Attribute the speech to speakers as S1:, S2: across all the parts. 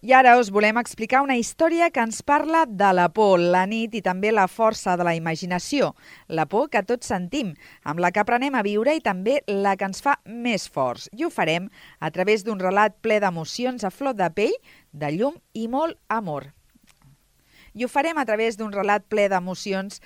S1: I ara us volem explicar una història que ens parla de la por, la nit i també la força de la imaginació. La por que tots sentim, amb la que aprenem a viure i també la que ens fa més forts. I ho farem a través d'un relat ple d'emocions a flor de pell, de llum i molt amor. I ho farem a través d'un relat ple d'emocions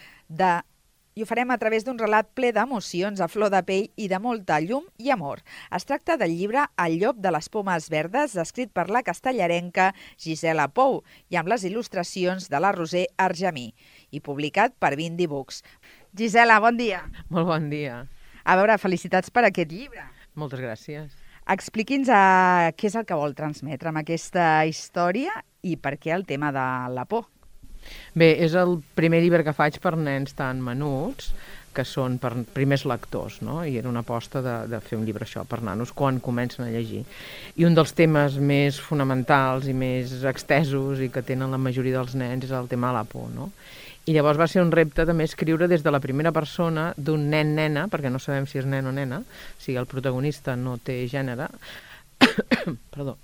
S1: a flor de pell i de molta llum i amor. Es tracta del llibre El llop de les pomes verdes, escrit per la castellarenca Gisela Pou i amb les il·lustracions de la Roser Argemí i publicat per Bindi Books. Gisela, bon dia.
S2: Molt bon dia.
S1: A veure, felicitats per aquest llibre.
S2: Moltes gràcies.
S1: Expliqui'ns què és el que vol transmetre amb aquesta història i per què el tema de la por.
S2: Bé, és el primer llibre que faig per nens tan menuts, que són per primers lectors, no? I era una aposta de fer un llibre això per nanos quan comencen a llegir. I un dels temes més fonamentals i més extesos i que tenen la majoria dels nens és el tema de la por, no? I llavors va ser un repte també escriure des de la primera persona d'un nen-nena, perquè no sabem si és nen o nena, o sigui, el protagonista no té gènere, perdó,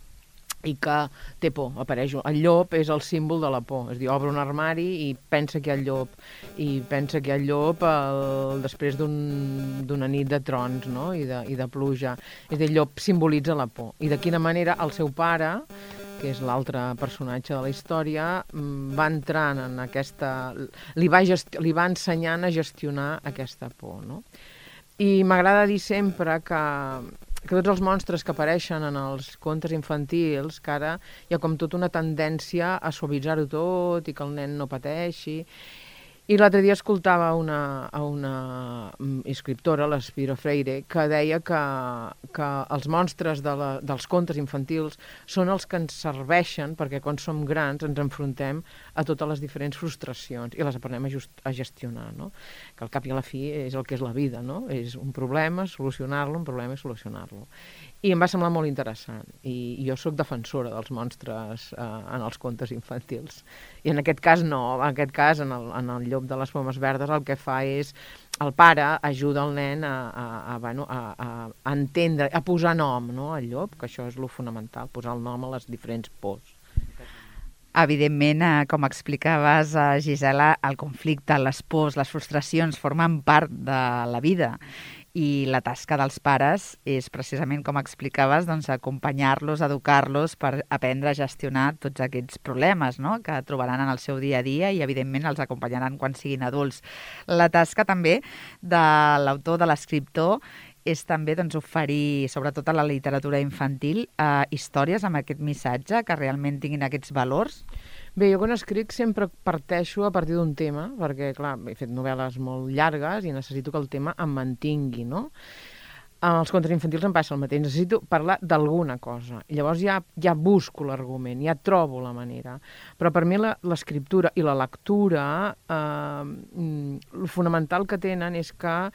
S2: i que té por, apareix. El llop és el símbol de la por, és a dir, obre un armari i pensa que hi ha el llop, i pensa que hi ha el llop després d'una nit de trons, no? I de pluja. És a dir, el llop simbolitza la por. I de quina manera el seu pare, que és l'altre personatge de la història, va entrant en aquesta... li va ensenyant a gestionar aquesta por, no? I m'agrada dir sempre que tots els monstres que apareixen en els contes infantils, que ara hi ha com tota una tendència a suavitzar-ho tot i que el nen no pateixi. I l'altre dia escoltava una escriptora, l'Espiro Freire, que deia que els monstres dels contes infantils són els que ens serveixen perquè quan som grans ens enfrontem a totes les diferents frustracions i les aprenem a gestionar, no? Que al cap i a la fi és el que és la vida, no? És un problema, solucionar-lo, un problema i solucionar-lo. I em va semblar molt interessant. I jo sóc defensora dels monstres en els contes infantils. I en aquest cas no, en aquest cas, en el llop de les pomes verdes, el que fa és, el pare ajuda el nen a entendre, a posar nom, no, al llop, que això és lo fonamental, posar el nom a les diferents pors.
S1: Evidentment, com explicaves, Gisela, el conflicte, les pors, les frustracions formen part de la vida. I la tasca dels pares és precisament, com explicaves, doncs, acompanyar-los, educar-los per aprendre a gestionar tots aquests problemes, no?, que trobaran en el seu dia a dia i, evidentment, els acompanyaran quan siguin adults. La tasca també de l'autor, de l'escriptor, és també doncs, oferir, sobretot a la literatura infantil, històries amb aquest missatge que realment tinguin aquests valors.
S2: Bé, jo quan escric sempre parteixo a partir d'un tema, perquè, clar, he fet novel·les molt llargues i necessito que el tema em mantingui, no? Els contes infantils em passa el mateix, necessito parlar d'alguna cosa. I llavors ja busco l'argument, ja trobo la manera. Però per mi l'escriptura i la lectura, el fonamental que tenen és que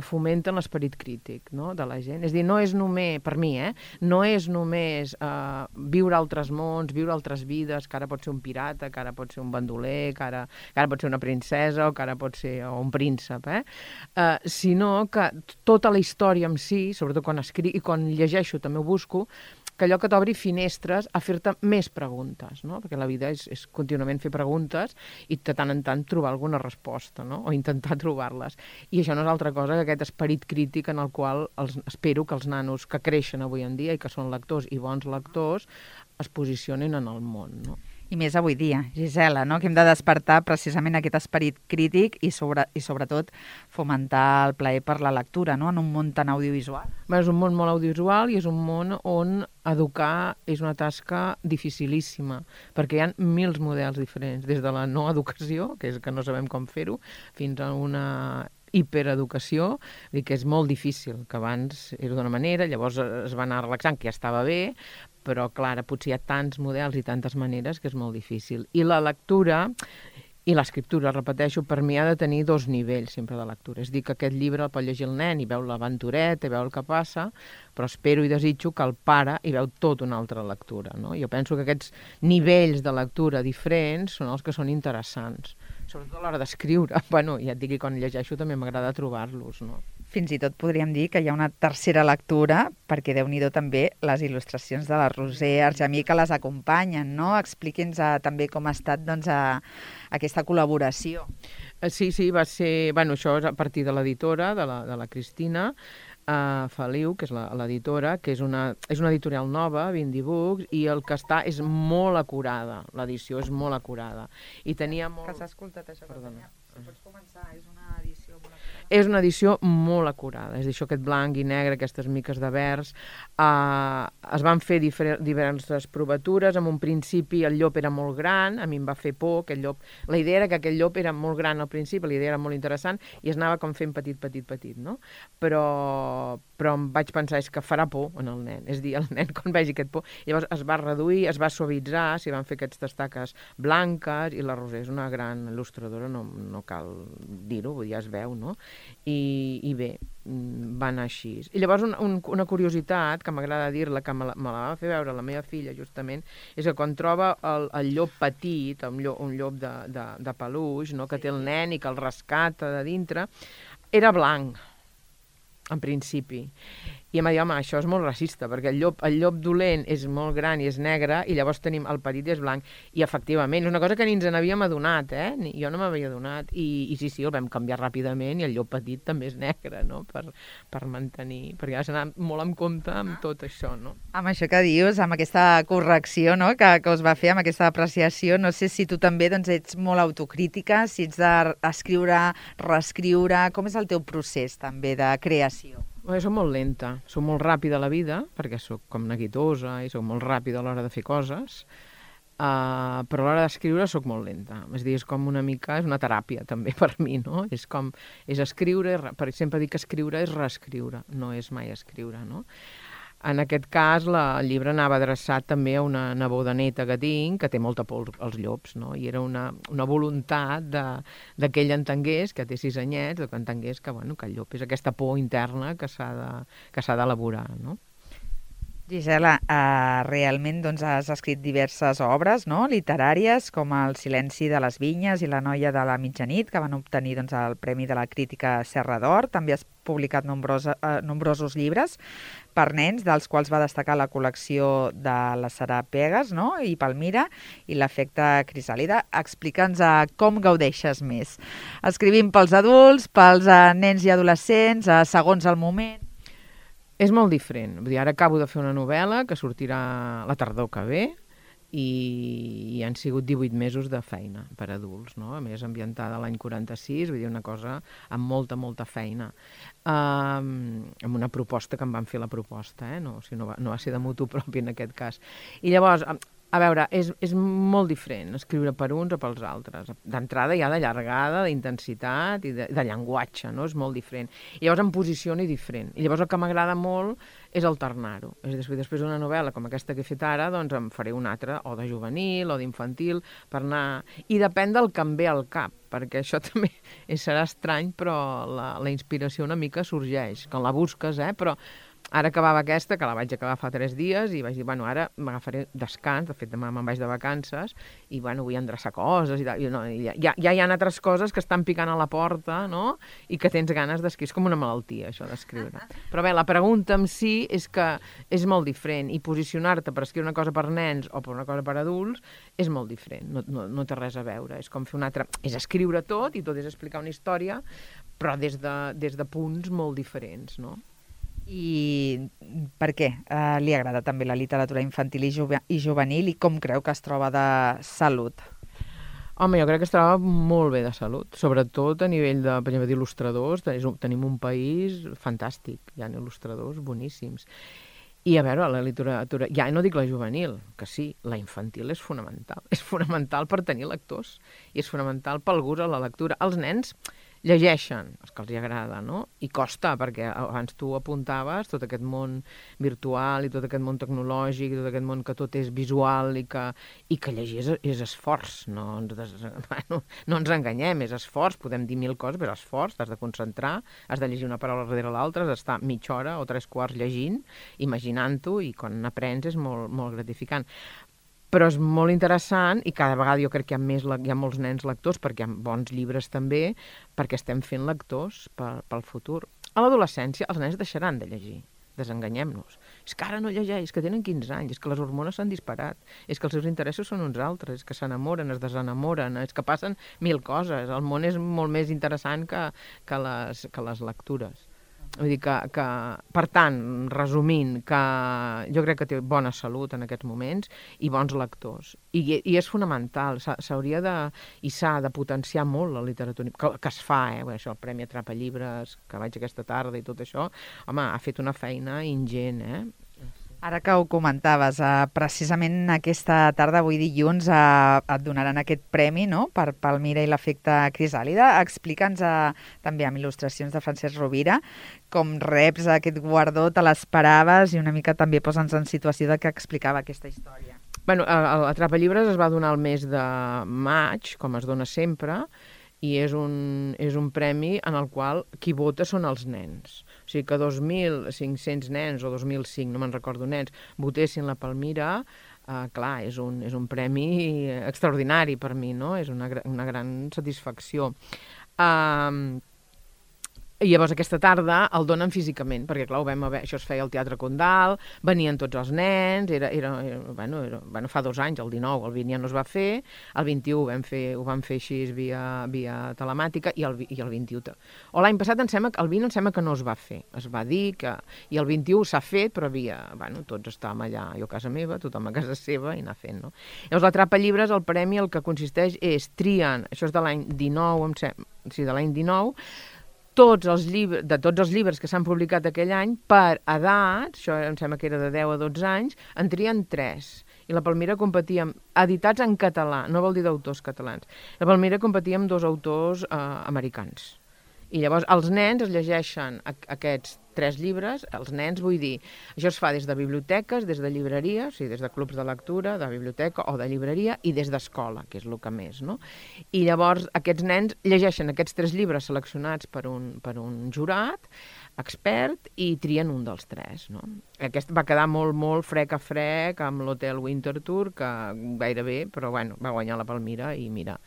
S2: fomenten l'esperit crític, no?, de la gent. És a dir, no és només, per mi, no és només viure altres mons, viure altres vides, que ara pot ser un pirata, que ara pot ser un bandoler, que ara pot ser una princesa o que ara pot ser un príncep, sinó que tota la història en si, sobretot quan escric i quan llegeixo també ho busco, que allò que t'obri finestres a fer-te més preguntes, no? Perquè la vida és contínuament fer preguntes i de tant en tant trobar alguna resposta, no? O intentar trobar-les. I això no és altra cosa que aquest esperit crític en el qual espero que els nanos que creixen avui en dia i que són lectors i bons lectors es posicionin en el món, no?
S1: I més avui dia, Gisela, no?, que hem de despertar precisament aquest esperit crític i sobretot fomentar el plaer per la lectura, no?, en un món tan audiovisual.
S2: Bé, és un món molt audiovisual i és un món on educar és una tasca dificilíssima, perquè hi ha mils models diferents, des de la no educació, que és que no sabem com fer-ho, fins a una hipereducació, que és molt difícil, que abans era d'una manera, llavors es va anar relaxant, que ja estava bé, però, clar, potser hi ha tants models i tantes maneres que és molt difícil. I la lectura i l'escriptura, repeteixo, per mi ha de tenir dos nivells sempre de lectura. És dir, que aquest llibre el pot llegir el nen i veu l'aventureta, i veu el que passa, però espero i desitjo que el pare hi veu tota una altra lectura, no? Jo penso que aquests nivells de lectura diferents són els que són interessants, sobretot a l'hora d'escriure. Bueno, ja et dic que quan llegeixo també m'agrada trobar-los, no?
S1: fins i tot podríem dir que hi ha una tercera lectura, perquè Déu-n'hi-do també les il·lustracions de la Roser Argemí que les acompanyen, no? Expliqui'ns també com ha estat doncs, aquesta col·laboració.
S2: Sí, va ser... Bueno, això és a partir de l'editora, de la Cristina Feliu, que és l'editora, que és una editorial nova, Bindi Books, i el que està és molt acurada, l'edició és molt acurada. I tenia molt...
S1: Que s'ha escoltat això. Perdona. Si pots començar, és una edició molt acurada.
S2: És una edició molt acurada, és a dir, això aquest blanc i negre, aquestes miques de vers. Es van fer diverses provatures, en un principi el llop era molt gran, a mi em va fer por, aquest llop. La idea era que aquest llop era molt gran al principi, la idea era molt interessant, i es anava com fent petit, no? Però em vaig pensar, és que farà por en el nen, és a dir, el nen quan vegi aquest por, llavors es va reduir, es va suavitzar, s'hi van fer aquestes taques blanques, i la Roser és una gran il·lustradora, no cal dir-ho, vull dir, ja es veu, no? I bé, va anar així. I llavors una curiositat, que m'agrada dir-la, que me la va fer veure la meva filla, justament, és que quan troba el llop petit, un llop de peluix, no?, que té el nen i que el rescata de dintre, era blanc, en principi. I em va dir, home, això és molt racista, perquè el llop dolent és molt gran i és negre, i llavors tenim el petit i és blanc. I efectivament, és una cosa que ni ens n'havíem adonat, jo no m'havia adonat. I sí, el vam canviar ràpidament, i el llop petit també és negre, no?, per mantenir, perquè has d'anar molt en compte amb tot això, no?
S1: Amb això que dius, amb aquesta correcció, no?, que us va fer, amb aquesta apreciació, no sé si tu també doncs, ets molt autocrítica, si ets d'escriure, reescriure, com és el teu procés també de creació?
S2: Jo soc molt lenta, soc molt ràpida a la vida, perquè soc com neguitosa i soc molt ràpida a l'hora de fer coses, però a l'hora d'escriure soc molt lenta. És a dir, és com una mica, és una teràpia també per mi, no? És escriure, per exemple dic que escriure és reescriure, no és mai escriure, no? En aquest cas, el llibre anava adreçat també a una neboda neta que tinc, que té molta por als llops, no? I era una voluntat que ell entengués, que té 6 anyets, que entengués que el llop és aquesta por interna que s'ha d'elaborar, no?
S1: Gisela, realment doncs, has escrit diverses obres, no?, literàries, com El silenci de les vinyes i La noia de la mitjanit, que van obtenir doncs, el Premi de la Crítica Serra d'Or. També has publicat nombrosos llibres per nens, dels quals va destacar la col·lecció de la Sara Pegas, no?, i Palmira, i l'efecte Crisàlida. Explica'ns com gaudeixes més. Escrivim pels adults, pels nens i adolescents, segons el moment.
S2: És molt diferent. Vull dir, ara acabo de fer una novel·la que sortirà la tardor que ve i han sigut 18 mesos de feina per adults, no? A més, ambientada a l'any 46, vull dir, una cosa amb molta feina. Amb una proposta que em van fer la proposta, no va ser de mutu propi en aquest cas. I llavors, a veure, és molt diferent escriure per uns o pels altres. D'entrada ja de llargada, d'intensitat i de llenguatge, no? És molt diferent. I llavors em posiciono diferent. I llavors el que m'agrada molt és alternar-ho. És a dir, després d'una novel·la com aquesta que he fet ara, doncs em faré una altra, o de juvenil o d'infantil, per anar... I depèn del que em ve al cap, perquè això també serà estrany, però la inspiració una mica sorgeix, quan la busques, però... Ara acabava aquesta, que la vaig acabar fa 3 dies, i vaig dir, ara m'agafaré descans, de fet demà me'n vaig de vacances, i vull endreçar coses, i ja hi ha altres coses que estan picant a la porta, no?, i que tens ganes d'escriure. És com una malaltia, això d'escriure. Però bé, la pregunta en si és que és molt diferent, i posicionar-te per escriure una cosa per nens o per una cosa per adults és molt diferent, no té res a veure. És com fer una altra... És escriure tot, i tot és explicar una història, però des de punts molt diferents, no?
S1: I per què li agrada també la literatura infantil i juvenil, i com creu que es troba de salut?
S2: Home, jo crec que es troba molt bé de salut, sobretot a nivell de, per exemple, d'il·lustradors. Tenim un país fantàstic, hi ha il·lustradors boníssims. I a veure, la literatura, ja no dic la juvenil, que sí, la infantil és fonamental per tenir lectors, i és fonamental pel gust a la lectura. Els nens llegeixen, els que els agrada, no? I costa, perquè abans tu apuntaves tot aquest món virtual i tot aquest món tecnològic i tot aquest món que tot és visual i que llegir és esforç, no ens enganyem, és esforç, podem dir 1000 coses, però és esforç, t'has de concentrar, has de llegir una paraula darrere l'altra, has d'estar mitja hora o 3/4 llegint, imaginant-ho, i quan n'aprens és molt, molt gratificant. Però és molt interessant, i cada vegada jo crec que hi ha molts nens lectors, perquè hi ha bons llibres també, perquè estem fent lectors pel futur. A l'adolescència els nens deixaran de llegir, desenganyem-nos. És que ara no llegeix, que tenen 15 anys, és que les hormones s'han disparat, és que els seus interessos són uns altres, és que s'enamoren, es desenamoren, és que passen 1000 coses. El món és molt més interessant que les lectures. Vull dir que, per tant, resumint, que jo crec que té bona salut en aquests moments i bons lectors. I és fonamental, s'hauria i s'ha de potenciar molt la literatura, que es fa, això, el Premi Atrapa Llibres, que vaig aquesta tarda i tot això, home, ha fet una feina ingent,
S1: Ara que ho comentaves, precisament aquesta tarda, avui dilluns, et donaran aquest premi, no?, per Palmira i l'efecte Crisàlida. Explica'ns també amb il·lustracions de Francesc Rovira com reps aquest guardó, te l'esperaves i una mica també posa'ns en situació de què explicava aquesta història.
S2: Bueno, l'Atrapa Llibres es va donar el mes de maig, com es dona sempre, i és un premi en el qual qui vota són els nens. O sigui que 2.500 nens, o 2.005, no me'n recordo, nens, votessin la Palmira, clar, és un premi extraordinari per mi, no? És una gran satisfacció. I llavors aquesta tarda el donen físicament, perquè clar, això es feia al Teatre Condal, venien tots els nens, bueno, fa 2 anys, el 19, el 20 ja no es va fer, el 21 ho vam fer així via telemàtica, i el 21. O l'any passat, el 20 em sembla que no es va fer, es va dir que... I el 21 s'ha fet, però tots estàvem allà, jo a casa meva, tothom a casa seva, i anar fent, no? Llavors l'Atrapa Llibres, el premi, el que consisteix és trien, això és de l'any 19, de l'any 19, de tots els llibres que s'han publicat aquell any, per edats, això em sembla que era de 10 a 12 anys, en trien 3. I la Palmira competia editats en català, no vol dir d'autors catalans. La Palmira competia amb 2 autors americans. I llavors els nens es llegeixen aquests 3 llibres, els nens, vull dir, això es fa des de biblioteques, des de llibreries, o sigui, des de clubs de lectura, de biblioteca o de llibreria, i des d'escola, que és el que més, no? I llavors aquests nens llegeixen aquests 3 llibres seleccionats per un jurat expert i trien un dels 3, no? Aquest va quedar molt frec a frec amb l'Hotel Winterthur, que gairebé, però bueno, va guanyar la Palmira i mira,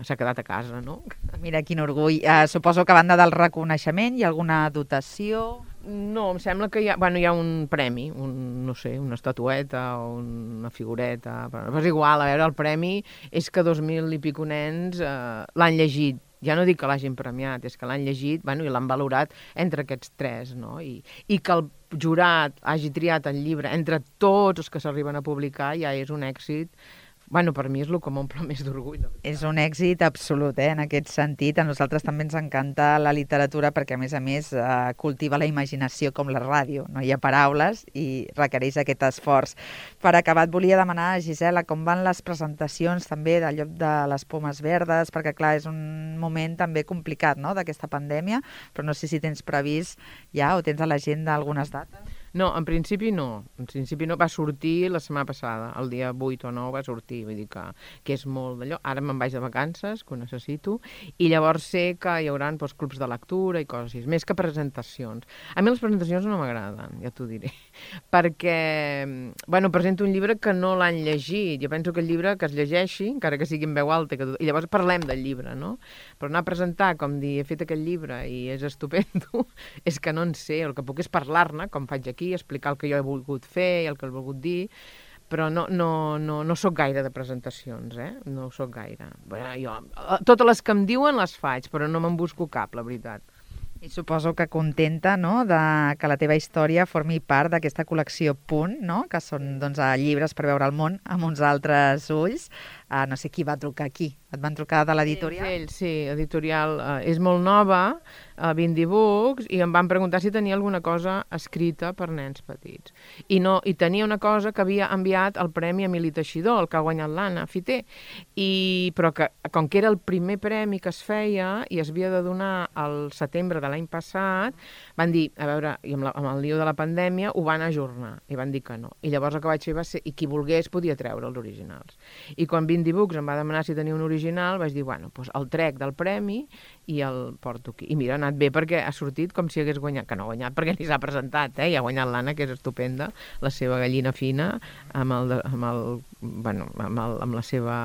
S2: s'ha quedat a casa, no?
S1: Mira, quin orgull. Suposo que a banda del reconeixement hi ha alguna dotació?
S2: No, em sembla que hi ha un premi, no sé, una estatueta o una figureta, però és igual, a veure, el premi és que 2.000 i pico nens l'han llegit. Ja no dic que l'hagin premiat, és que l'han llegit, i l'han valorat entre aquests 3, no? I que el jurat hagi triat el llibre entre tots els que s'arriben a publicar ja és un èxit. Per mi és el que m'omple més d'orgull.
S1: És un èxit absolut, en aquest sentit. A nosaltres també ens encanta la literatura perquè, a més, cultiva la imaginació com la ràdio. No hi ha paraules i requereix aquest esforç. Per acabar, et volia demanar, Gisela, com van les presentacions també del lloc de les Pomes Verdes, perquè, clar, és un moment també complicat, no?, d'aquesta pandèmia, però no sé si tens previst ja o tens a l'agenda algunes dates.
S2: No, en principi no. En principi no. Va sortir la setmana passada, el dia 8 o 9 va sortir, vull dir que és molt d'allò. Ara me'n vaig de vacances, que ho necessito, i llavors sé que hi haurà clubs de lectura i coses així, més que presentacions. A mi les presentacions no m'agraden, ja t'ho diré, perquè, presento un llibre que no l'han llegit. Jo penso que el llibre que es llegeixi, encara que sigui en veu alta, i llavors parlem del llibre, no? Però anar a presentar, com dir, he fet aquest llibre i és estupendo, és que no en sé, el que puc és parlar-ne, com faig aquí, explicar el que jo he volgut fer i el que he volgut dir, però no soc gaire de presentacions, no soc gaire. Totes les que em diuen les faig, però no me'n busco cap, la veritat.
S1: I suposo que contenta, no?, de que la teva història formi part d'aquesta col·lecció Punt, no?, que són llibres per veure el món amb uns altres ulls. No sé qui va trucar aquí. Et van trucar de l'editorial?
S2: Sí, editorial. És molt nova, 20 Books, i em van preguntar si tenia alguna cosa escrita per nens petits. I tenia una cosa que havia enviat el Premi Emili Teixidor, el que ha guanyat l'Anna Fiter, però que, com que era el primer premi que es feia i es havia de donar al setembre de l'any passat, van dir, a veure, i amb el lío de la pandèmia, ho van ajornar, i van dir que no. I llavors el que vaig fer va ser, i qui volgués podia treure els originals. I quan 20 Books em va demanar si tenia un original, original, vaig dir, bueno, doncs el trec del premi i el porto aquí. I mira, ha anat bé perquè ha sortit com si hagués guanyat, que no ha guanyat perquè ni s'ha presentat, i ha guanyat l'Anna, que és estupenda, la seva gallina fina, amb la seva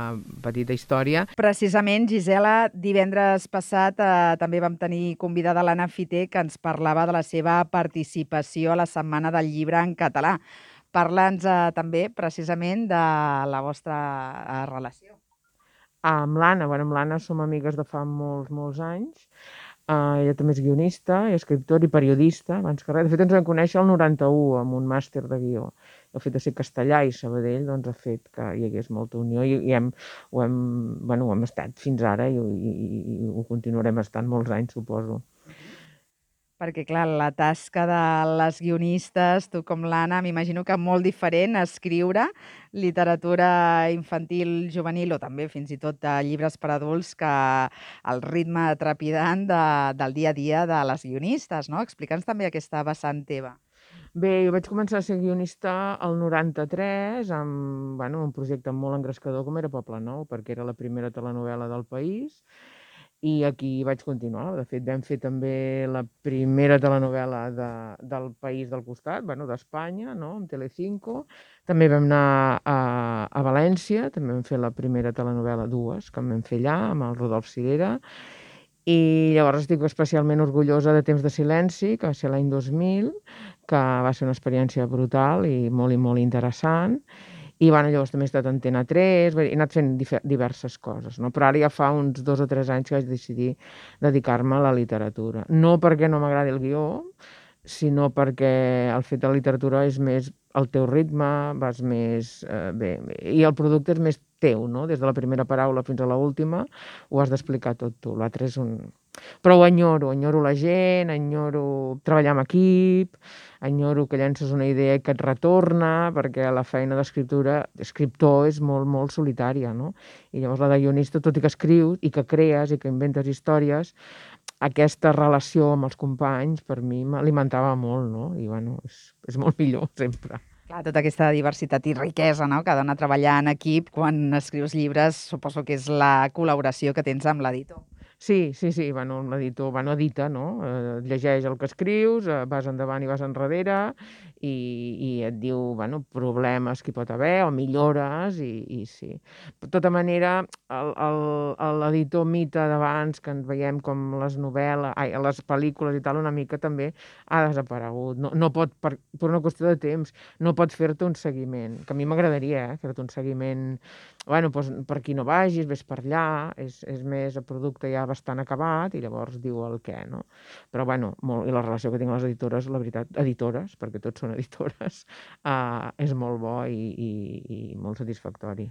S2: petita història.
S1: Precisament, Gisela, divendres passat també vam tenir convidada l'Anna Fiter, que ens parlava de la seva participació a la Setmana del Llibre en català. Parla'ns també, precisament, de la vostra relació.
S2: Amb l'Anna som amigues de fa molts anys. Ella també és guionista, i escriptor i periodista, abans que res. De fet, ens vam conèixer el 91 amb un màster de guió. El fet de ser castellà i Sabadell doncs, ha fet que hi hagués molta unió i ho hem estat fins ara i ho continuarem estant molts anys, suposo.
S1: Perquè, clar, la tasca de les guionistes, tu com l'Anna, m'imagino que molt diferent escriure literatura infantil, juvenil o també fins i tot llibres per adults que el ritme trepidant del dia a dia de les guionistes, no? Explica'ns també aquesta vessant teva.
S2: Bé, jo vaig començar a ser guionista el 93 amb un projecte molt engrescador com era Poble Nou, perquè era la primera telenovel·la del país. I aquí vaig continuar. De fet, vam fer també la primera telenovel·la del país del costat, d'Espanya, no? Amb Telecinco. També vam anar a València, també vam fer la primera telenovel·la, dues, que vam fer allà, amb el Rodolf Cirera. I llavors estic especialment orgullosa de Temps de silenci, que va ser l'any 2000, que va ser una experiència brutal i molt interessant. I llavors també he estat a Antena 3, he anat fent diverses coses, no? Però ara ja fa uns 2 o 3 anys que vaig decidir dedicar-me a la literatura. No perquè no m'agradi el guió, sinó perquè el fet de la literatura és més el teu ritme, vas més bé, i el producte és més teu, no? Des de la primera paraula fins a l'última ho has d'explicar tot tu. L'altre és un... Però ho enyoro la gent, enyoro treballar amb equip, enyoro que llences una idea i que et retorna, perquè la feina d'escriptor és molt solitària, no? I llavors la de guionista, tot i que escrius i que crees i que inventes històries, aquesta relació amb els companys per mi m'alimentava molt, no? I és molt millor sempre.
S1: Clar, tota aquesta diversitat i riquesa, no?, que dona treballar en equip quan escrius llibres, suposo que és la col·laboració que tens amb l'editor.
S2: Sí, l'editor edita, no? Llegeix el que escrius, vas endavant i vas enrere i et diu, problemes que hi pot haver o millores i sí. De tota manera, l'editor mite d'abans, que ens veiem com les novel·les, les pel·lícules i tal, una mica també ha desaparegut. No pot, per una qüestió de temps, no pot fer-te un seguiment, que a mi m'agradaria, fer-te un seguiment, per aquí no vagis, ves per allà, és més el producte ja bastant acabat i llavors diu el què, no? Però i la relació que tinc amb les editores, la veritat, editores, perquè tots són editores, és molt bo i molt satisfactori.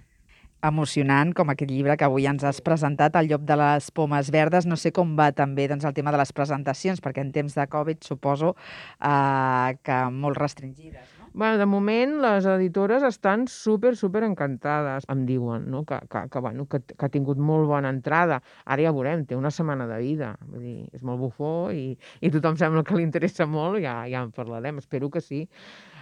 S1: Emocionant, com aquest llibre que avui ens has presentat, El llop de les pomes verdes. No sé com va també el tema de les presentacions, perquè en temps de Covid suposo que molt restringides, no?
S2: De moment, les editores estan super encantades. Em diuen, no?, que ha tingut molt bona entrada. Ara ja veurem, té una setmana de vida. Vull dir, és molt bufó i tothom sembla que li interessa molt, ja en parlarem. Espero que sí.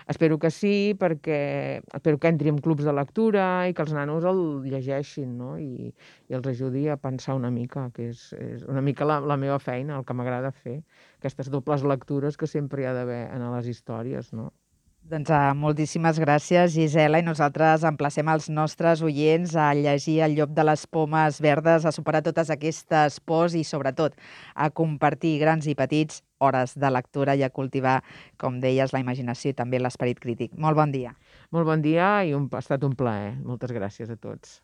S2: Espero que sí, perquè espero que entri en clubs de lectura i que els nanos el llegeixin, no? I els ajudi a pensar una mica, que és una mica la meva feina, el que m'agrada fer, aquestes dobles lectures que sempre hi ha d'haver en les històries, no?
S1: Doncs moltíssimes gràcies, Gisela, i nosaltres emplacem els nostres oients a llegir El llop de les pomes verdes, a superar totes aquestes pors i, sobretot, a compartir grans i petits hores de lectura i a cultivar, com deies, la imaginació i també l'esperit crític. Molt bon dia.
S2: Molt bon dia i ha estat un plaer. Moltes gràcies a tots.